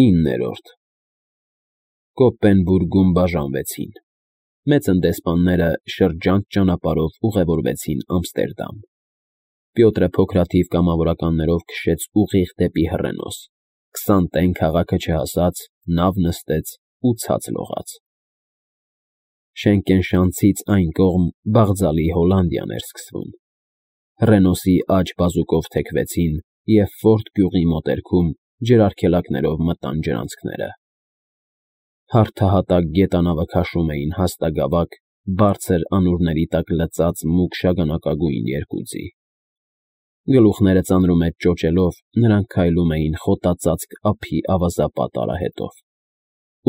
9-րդ Կոպենբուրգում բաժանվեցին։ Մեծ տնտեսպանները շրջանց ճանապարհով ուղևորվեցին Ամստերդամ։ Պյոտրը փոքրաթիվ կամավորականներով քշեց ուղիղ դեպի Հռենոս, 20 տեն քաղաքը չհասած, նավ նստեց ու ցած լողաց։ Շենկենշանցից այն կողմ Բաղձալի Հոլանդիան էր սկսվում։ Հռենոսի աջ բազուկով թեքվեցին և Ֆորդ գյուղի մոտերքում ջրարգելակներով մտան ջրանցքները։ Հարթահատակ գետանավը քաշում էին հաստագավակ, բարձր անուրների տակ լծած մուգ շագանակագույն երկուձի։ Գլուխները ծանրում հետ ճոճելով, նրանք քայլում էին խոտածածկ ափի ավազապատ արահետով։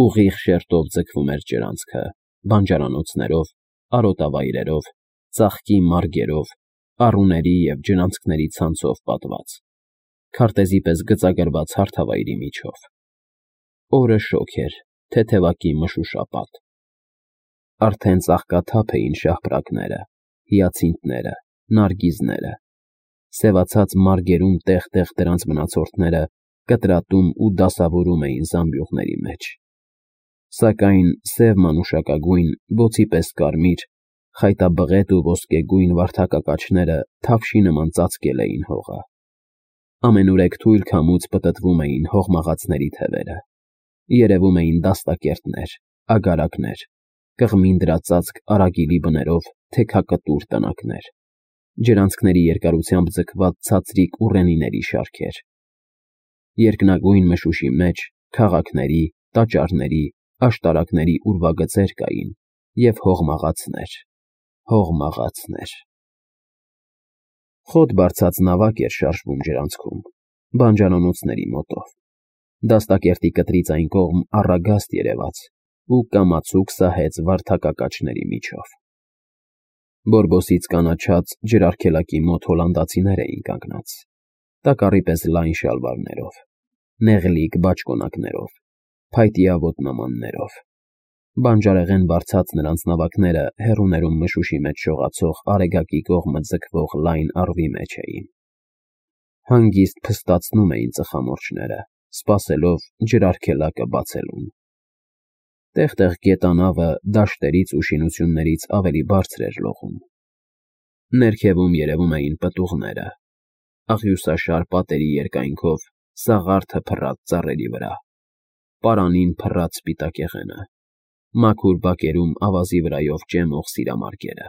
Ուղիղ շերտով ձգվում էր ջրանցքը, բանջարանոցներով, արոտավայրերով, ծաղկի մարգերով, առուների և ջրանցքների ցանցով պատված, քարտեզի պես գծագրված հարթավայրի միջով։ Օրը շոգ էր, թեթևակի մշուշապատ։ Արդեն ծաղկաթափ էին շահպրակները, հիացինթները, նարգիզները։ Սևացած մարգերում տեղ-տեղ դրանց մնացորդները կտրատում ու դասավորում էին զամբյուղների մեջ։ Սակայն սև մանուշակագույն, բոցի պես կարմիր, խայտաբղետ ու ոսկեգույն վարդակակաչները թավշի նման ծածկել էին հողը։ Ամենուրեք թույլ քամուց պտտվում էին հողմաղացների թևերը։ Երևում էին դաստակերտներ, ագարակներ, կղմին դրածածկ արագիլի բներով թեքակտուր տնակներ, ջրանցքների երկարությամբ ձգված ցածրիկ ուռենիների շարքեր։ Երկնագույն մշուշի մեջ քաղաքների, տաճարների, աշտարակների ուրվագծեր կային և հողմաղացներ, հողմաղացներ։ Խոտ բարձած նավակ էր շարժվում ջրանցքում, բանջարանոցների մոտով։ Դաստակերտի կտրից այն կողմ առագաստ երևաց ու կամացուկ սահեց վարդակակաչների միջով։ Բորբոսից կանաչած ջրարգելակի մոտ հոլանդացիներ էին կանգնած, տակառի պես լայն շալվարներով, նեղլիկ բաճկոնակներով, փայտյա ոտնամաններով։ Բանջարեղեն բարձած նրանց նավակները հեռուներում մշուշի մեջ շողացող Արեգակի կողմը ձգվող լայն առվի մեջ էին։ Հանգիստ փստացնում էին ծխամորճները, սպասելով ջրարգելակը բացելուն։ Տեղ֊տեղ գետանավը դաշտերից ու շինություններից ավելի բարձր էր լողում։ Ներքևում երևում էին պտուղները, աղյուսաշար պատերի երկայնքով սաղարթը փռած ծառերի վրա, պարանին փռած սպիտակեղենը, մաքուր բակերում ավազի վրայով ճեմող սիրամարգերը։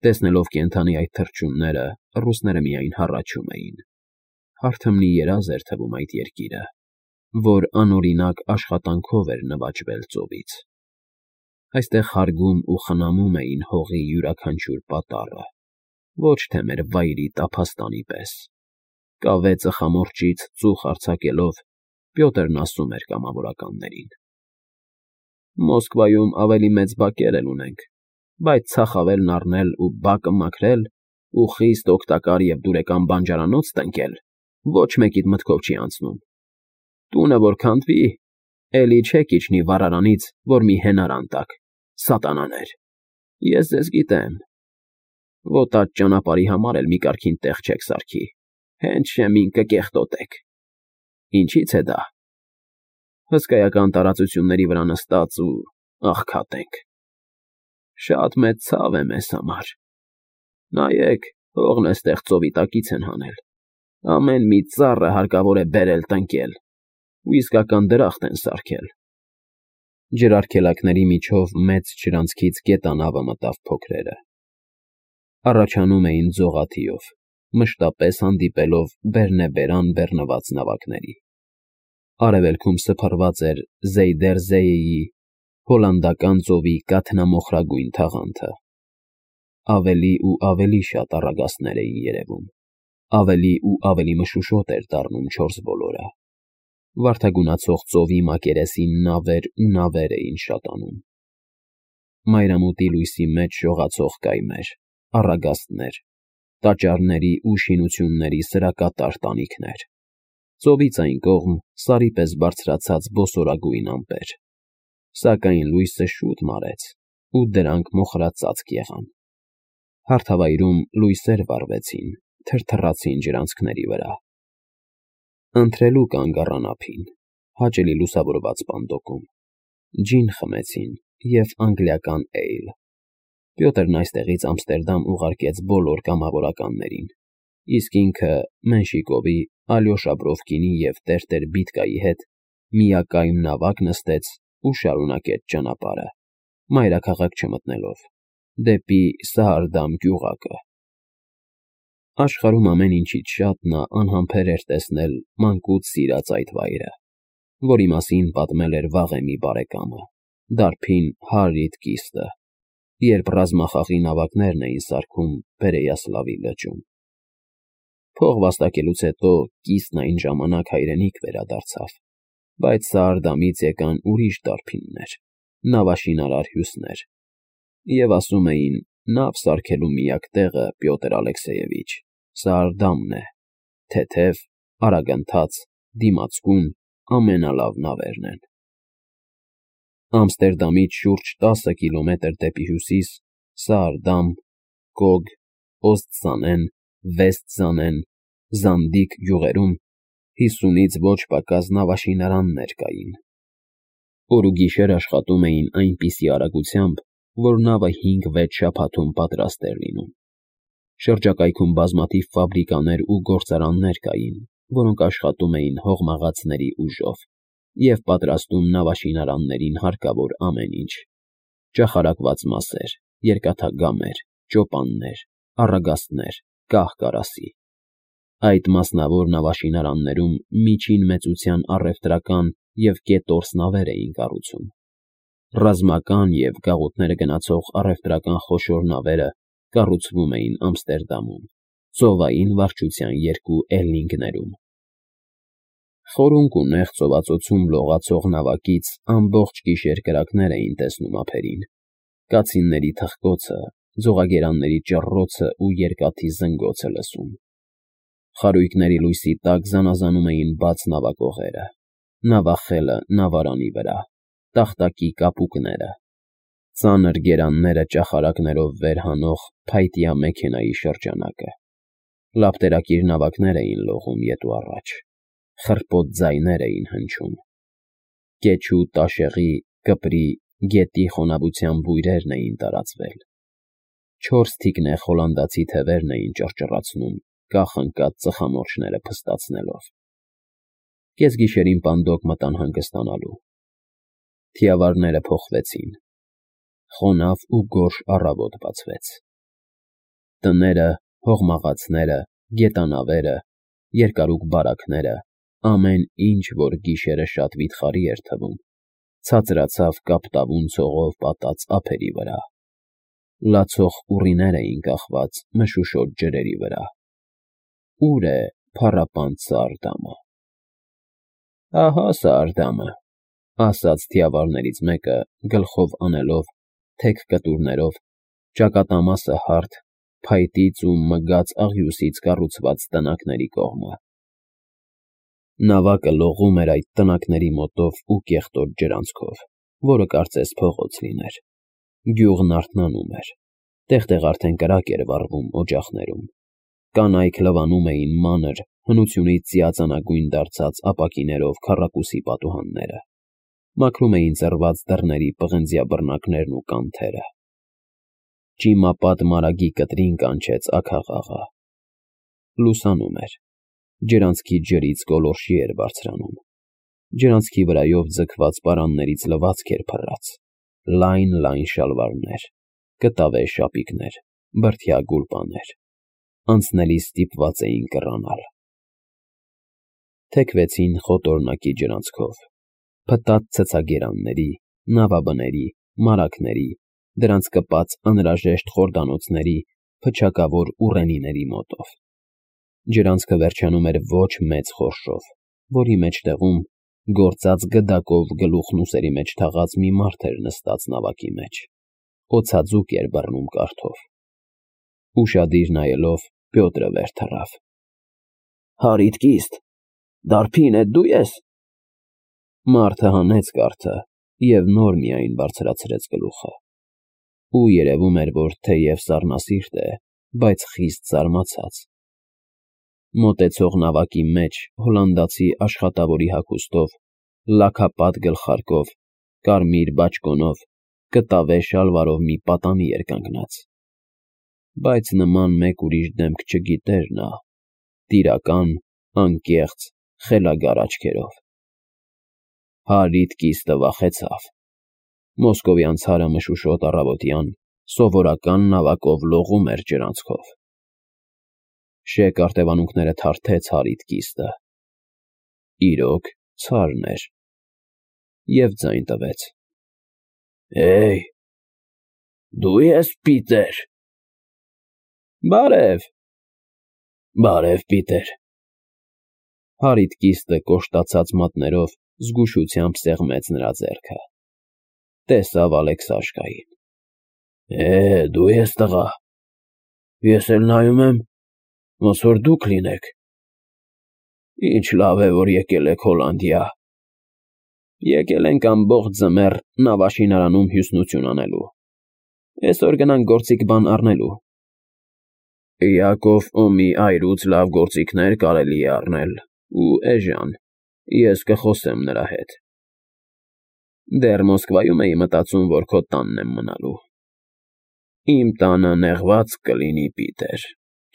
Տեսնելով կենդանի այդ թռչունները, ռուսները միայն հառաչում էին։ Հարթմնի երազ էր թվում այդ երկիրը, որ անօրինակ աշխատանքով էր նվաճվել ծովից։ Այստեղ հարգում ու խնամում էին հողի յուրաքանչյուր պատառը, ոչ թե մեր վայրի տափաստանի պես։ Կավե ծխամորճից ծուխ արձակելով, Պյոտրն ասում էր կամավորականներին. Մոսկվայում ավելի մեծ բակեր էլ ունենք, բայց ցախավելն առնել ու բակը մաքրել ու խիստ օգտակար և դուրեկան բանջարանոց տնկել ոչ մեկիդ մտքով չի անցնում։ Տունը որ քանդվի, էլի չեք իջնի վառարանից, որ մի հենարան տաք, սատանաներ, ես ձեզ գիտեմ։ Ոտած ճանապարհի համար էլ մի կարգին տեղ չեք սարքի, հենց շեմին կկեղտոտեք։ Ինչի՞ց է դա։ Հսկայական տարածությունների վրա նստած ու աղքատ ենք։ Շատ մեծ ցավ է մեզ համար։ Նայեք, հողն էստեղ ծովի տակից են հանել, ամեն մի ծառը հարկավոր է բերել տնկել, ու իսկական դրախտ են սարքել։ Ջրարգելակների միջով մեծ ջրանցքից գետանավը մտավ փոքրերը։ Առաջանում էին ձողաթիով, մշտապես հանդիպելով բերնեբերան բեռնված նավակների։ Արևելքում սփռված էր Զեյդերզեյեի հոլանդական ծովի կաթնամոխրագույն թաղանթը։ Ավելի ու ավելի շատ առագաստներ էին երևում, ավելի ու ավելի մշուշոտ էր դառնում չորս բոլորը։ Վարդագունացող ծովի մակերեսին նավեր ու նավեր էին շատանում։ Մայրամուտի լույսի մեջ շողացող կայմեր, առագաստներ, տաճարների ու շինությունների սրակատար տանիքներ, ծովից այն կողմ սարի պես բարձրացած բոսորագույն ամպեր։ Սակայն լույսը շուտ մարեց, ու դրանք մոխրածածկ եղան։ Հարթավայրում լույսեր վառվեցին, թրթռացին ջրանցքների վրա։ Ընթրելու կանգ առան ափին, հաճելի լուսավորված պանդոկում։ Ջին խմեցին և անգլիական էյլ։ Պյոտրն այստեղից Ամստերդամ ուղարկեց բոլոր կամավորականներին, իսկ ինքը Մենշիկովի, Ալյոշա Բրովկինի և տերտեր Բիտկայի հետ միակայմ նավակ նստեց ու շարունակեց ճանապարհը, մայրաքաղաք չմտնելով, դեպի Սահարդամ գյուղակը։ Աշխարհում ամեն ինչից շատ նա անհամբեր էր տեսնել մանկուց սիրած այդ վայրը, որի մասին պատմել էր վաղեմի բարեկամը, դարբին Հարրիտ Կիստը, երբ ռազմախաղի նավակներն էին սարքում Պերեյասլավի լճում։ Փող վաստակելուց հետո Կիստն այն ժամանակ հայրենիք վերադարձավ, բայց Սահարդամից եկան ուրիշ դարբիններ, նավաշինարար հյուսներ, և ասում էին, նավ սարքելու միակ տեղը, Պյոտր Ալեքսեյևիչ, Սահարդամն է, թեթև, արագընթաց, դիմացկուն, ամենալավ նավերն են։ Ամստերդամից շուրջ 10 կիլոմետր դեպի հյուսիս Սահարդամ, Կոգ, Օստզանեն, Վեսթզանեն, Զանդիկ գյուղերում 50-ից ոչ պակաս նավաշինարաններ կային։ Օր ու գիշեր աշխատում էին այնպիսի արագությամբ, որ նավը 5-6 շաբաթում պատրաստ էր լինում։ Շրջակայքում բազմաթիվ ֆաբրիկաներ ու գործարաններ կային, որոնք աշխատում էին հողմաղացների ուժով և պատրաստում նավաշինարաններին հարկավոր ամեն ինչ՝ ճախարակված մասեր, երկաթգամեր, ճոպաններ, առագաստներ, կահ֊կարասի։ Այդ մասնավոր նավաշինարաններում միջին մեծության առևտրական և կետորս նավեր էին կառուցում։ Ռազմական և գաղութները գնացող առևտրական խոշոր նավերը կառուցվում էին Ամստերդամում, ծովային վարչության 2 էլլինգներում։ Խորունկ ու նեղ ծովածոցում լողացող նավակից ամբողջ գիշեր կրակներ էին տեսնում ափերին, կացինների թխկոցը, ձողագերանների ճռռոցը ու երկաթի զնգոցը լսում։ Խարույկների լույսի տակ զանազանում էին բաց նավակողերը, նավախելը նավարանի վրա, տախտակի կապուկները, ծանր գերանները ճախարակներով վեր հանող փայտյա մեքենայի շրջանակը։ Լապտերակիր նավակներ էին լողում ետ ու առաջ, խռպոտ ձայներ էին հնչում։ Կեչու, տաշեղի, կպրի, գետի խոնավության բույրերն էին տարածվել։ 4 թիկնեղ հոլանդացի թևերն էին ճռճռացնում, կախ ընկած ծխամորճները փստացնելով։ Կեսգիշերին պանդոկ մտան հանգստանալու։ Թիավարները փոխվեցին։ Խոնավ ու գորշ առավոտ բացվեց։ Տները, հողմաղացները, գետանավերը, երկարուկ բարակները, ամեն ինչ, որ գիշերը շատ վիթխարի էր թվում, ցածրացավ կապտավուն ցողով պատած ափերի վրա։ Լացող ուռիներ էին կախված մշուշոտ ջրերի վրա։ Ո՞ւր է փառապանծ Սահարդամը։ Ահա Սահարդամը, ասաց թիավարներից մեկը, գլխով անելով, թեք կտուրներով, ճակատամասը հարթ, փայտից ու մգած աղյուսից կառուցված տնակների կողմը։ Նավակը լողում էր այդ տնակների մոտով ու կեղտոտ ջրանցքով, որը կարծես փողոց լիներ։ Գյուղն արթնանում էր, տեղ-տեղ արդեն կրակ էր վառվում օջախներում։ Կանայք լվանում էին մանր, հնությունից ծիածանագույն դարձած ապակիներով քառակուսի պատուհանները, մաքրում էին ծռված դռների պղնձյա բռնակներն ու կանթերը։ Ճիմապատ մարագի կտրին կանչեց աքաղաղը։ Լուսանում էր։ Ջրանցքի ջրից գոլորշի էր բարձրանում։ Ջրանցքի վրայով ձգված պարաններից լվացք էր փռած, լայն շալվարներ, կտավե շապիկներ, բրդյա գուլպաներ, անցնելիս ստիպված էին կռանալ։ Թեքվեցին խոտորնակի ջրանցքով, փտած ցցագերանների, նավաբների, մարագների, դրանց կպած անհրաժեշտ խորդանոցների, փչակավոր ուռենիների մոտով։ Ջրանցքը վերջանում էր ոչ մեծ խորշով, որի մեջտեղում, գործած գդակով գլուխն ուսերի մեջ թաղած մի մարդ էր նստած նավակի մեջ, օձաձուկ էր բռնում կարթով։ Ուշադիր նայելով, Պյոտրը վեր թռավ։ Հարիտ Կիստ, դարբին էդ դու ես։ Մարդը հանեց կարթը և նոր միայն բարձրացրեց գլուխը։ Ու երևում էր, որ թեև սառնասիրտ է, բայց խիստ զարմացած։ Մոտեցող նավակի մեջ հոլանդացի աշխատավորի հագուստով լաքապատ գլխարկով, կարմիր բաճկոնով, կտավե շալվարով մի պատանի էր կանգնած։ Բայց նման մեկ ուրիշ դեմք չգիտեր նա, տիրական, անկեղծ, խելագար աչքերով։ Հարիտ կիստը վախեցավ։ Մոսկովյան ցարը մշուշոտ առավոտյան սովորական նավակով լողում էր ջրանցքով։ Շեկ արտևանունքները թարթեց հարիտ կիստը։ Իրոք ցարն էր։ Եվ ձայն տվեց. «Հեյ, դու ես Պիտեր»։ «Բարև»։ «Բարև, Պիտեր»։ Հարիտ կիստը կոշտացած մատներով զգուշությամբ սեղմեց նրա ձեռքը։ Տեսավ Ալեքսաշկային։ Դու ես տղա։ Ես էլ նայում եմ, ոնց որ դուք լինեք։ Ինչ լավ է, որ եկել եք Հոլանդիա։ Եկել ենք ամբողջ ձմեռ նավաշինարանում հյուսնություն անելու։ Այսօր գնանք գործիք բան առնելու։ Յակով Օմի այրուց լավ գործիքներ կարելի է առնել, ու էժան, ես կխոսեմ նրա հետ։ Դեռ Մոսկվայում էի մտածում, որ քո տանն եմ մնալու։ Իմ տանը նեղված կլինի, Պիտեր,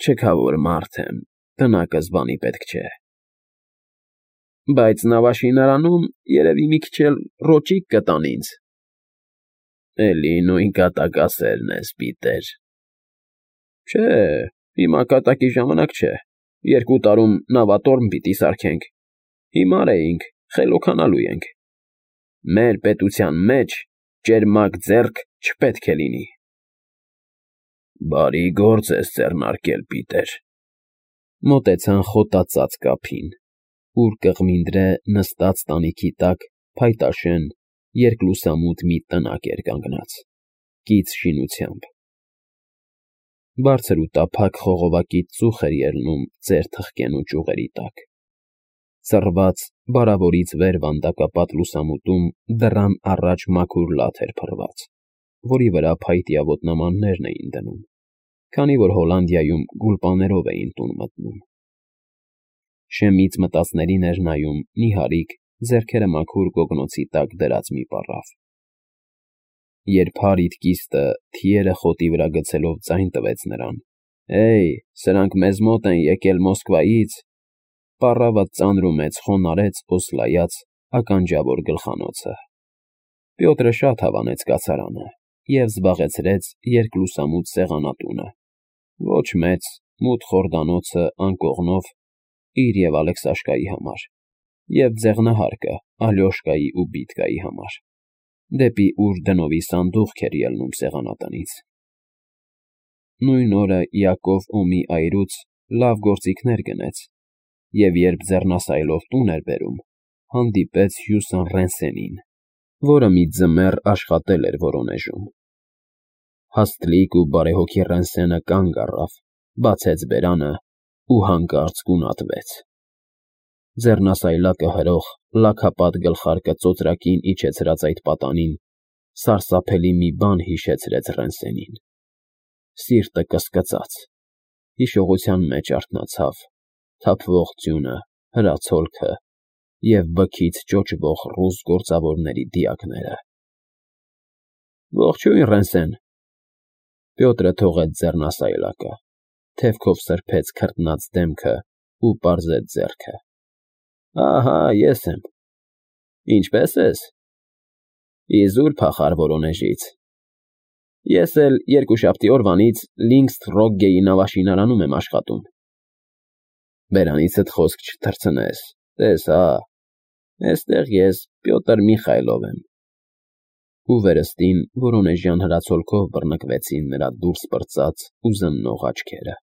չքավոր մարդ եմ, տնակս բանի պետք չէ։ Բայց նավաշինարանում երևի մի քիչ էլ ռոճիկ կտան ինձ։ Էլի նույն կատակասերն ես, Պիտեր։ Չէ, հիմա կատակի ժամանակ չէ, 2 տարում նավատորմ պիտի սարքենք, հիմար էինք, խելոքանալու ենք։ Մեր պետության մեջ ճերմակ ձեռք չպետք է լինի։ Բարի գործ ես ձեռնարկել, Պիտեր։ Մոտեցան խոտածած կափին, ուր կղմինդրե նստած տանիքի տակ փայտաշեն երկլուսամութ մի տնակ էր կանգնած, կից շինությամբ։ Բարձր ու տափակ խողովակից ծուխ էր ելնում ծեր թխկենու ճյուղերի տակ։ Ծռված, բարավորից վեր վանդակապատ լուսամուտում դռան առաջ մաքուր լաթ էր փռված, որի վրա փայտյա ոտնամաններն էին դնում, քանի որ Հոլանդիայում գուլպաներով էին տուն մտնում։ Շեմից մտածներին էր նայում նիհարիկ, ձեռքերը մաքուր գոգնոցի տակ դրած մի պառավ։ Երբ Հարիտ կիստը թիերը խոտի վրա գցելով ձայն տվեց նրան. սրանք մեզ մոտ են եկել Մոսկվայից, պառավը ծանրումեց խոնարհեց օսլայած ականջավոր գլխանոցը։ Պյոտրը շատ հավանեց կացարանը և զբաղեցրեց երկլուսամութ սեղանատունը, ոչ մեծ, մութ խորդանոցը անկողնով իր և Ալեքսաշկայի համար, և ձեղնահարկը Ալյոշկայի ու Բիտկայի համար, դեպի ուր դնովի սանդուղք էր ելնում սեղանատնից։ Նույն օրը Յակով Օմի այրուց լավ գործիքներ գնեց, և երբ ձեռնասայլով տուն էր բերում, հանդիպեց Հյուսան Ռենսենին, որը մի ձմեռ աշխատել էր Վորոնեժում։ Հաստլիկ ու բարեհոգի Ռենսենը կանգ առավ, բացեց բերանը ու հանկարծ գունատվեց։ Ձեռնասայլակը հրող, լաքապատ գլխարկը ծոծրակին իջեցրած այդ պատանին սարսափելի մի բան հիշեցրեց Ռենսենին։ Սիրտը կսկծաց, հիշողության մեջ արթնացավ թափվող ձյունը, հրացոլքը և բքից ճոճվող ռուս գործավորների դիակները։ Ողջույն, Ռենսեն։ Պյոտրը թողեց ձեռնասայլակը, թևքով սրբեց քրտնած դեմքը ու պարզեց ձեռքը։ Ահա, ես եմ։ Ինչպե՞ս ես։ Իզուր փախար Վորոնեժից։ Ես էլ 2 օրվանից Լինգսթրոգգեի նավաշինարանում եմ աշխատում։ Բերանիցդ խոսք չթռցնես, տես հա, էստեղ ես Պյոտր Միխայլով եմ։ Ու վերստին Վորոնեժյան հրացոլքով բռնկվեցին նրա դուրս պրծած ու զննող աչքերը։